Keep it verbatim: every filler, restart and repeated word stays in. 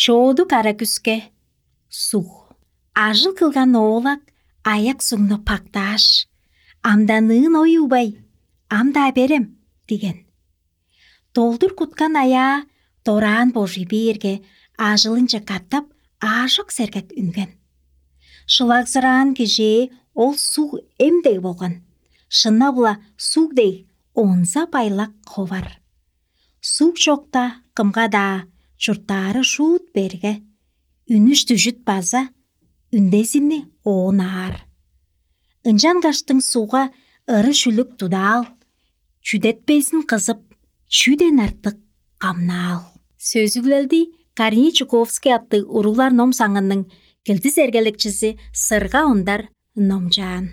Чооду кара күске суг. Ажыл кылган оолак аяк сугну пактааш: «Амданыын оюубай, ам-даа берем» – диген. Долдур куткан аяа дораан божуй бээрге, ажылынче катап аажок сергек үнген. Шылаксыраан кижээ ол суг эм дег болган. Шынап-ла, суг дег онза байлак ховар. Суг чокта кымга-даа чурттаары шуут берге, үнүш-дүжүт база үндезини оон аар. Ынчангаштың сугга ыры-шүлүк тудаал, чүдетпезин кызып, чүден артык камнаал. Сөзүглелди Корней Чуковский аттыг уруглар ном саңының килдис эргелекчизи Сырга Ондар номчаан.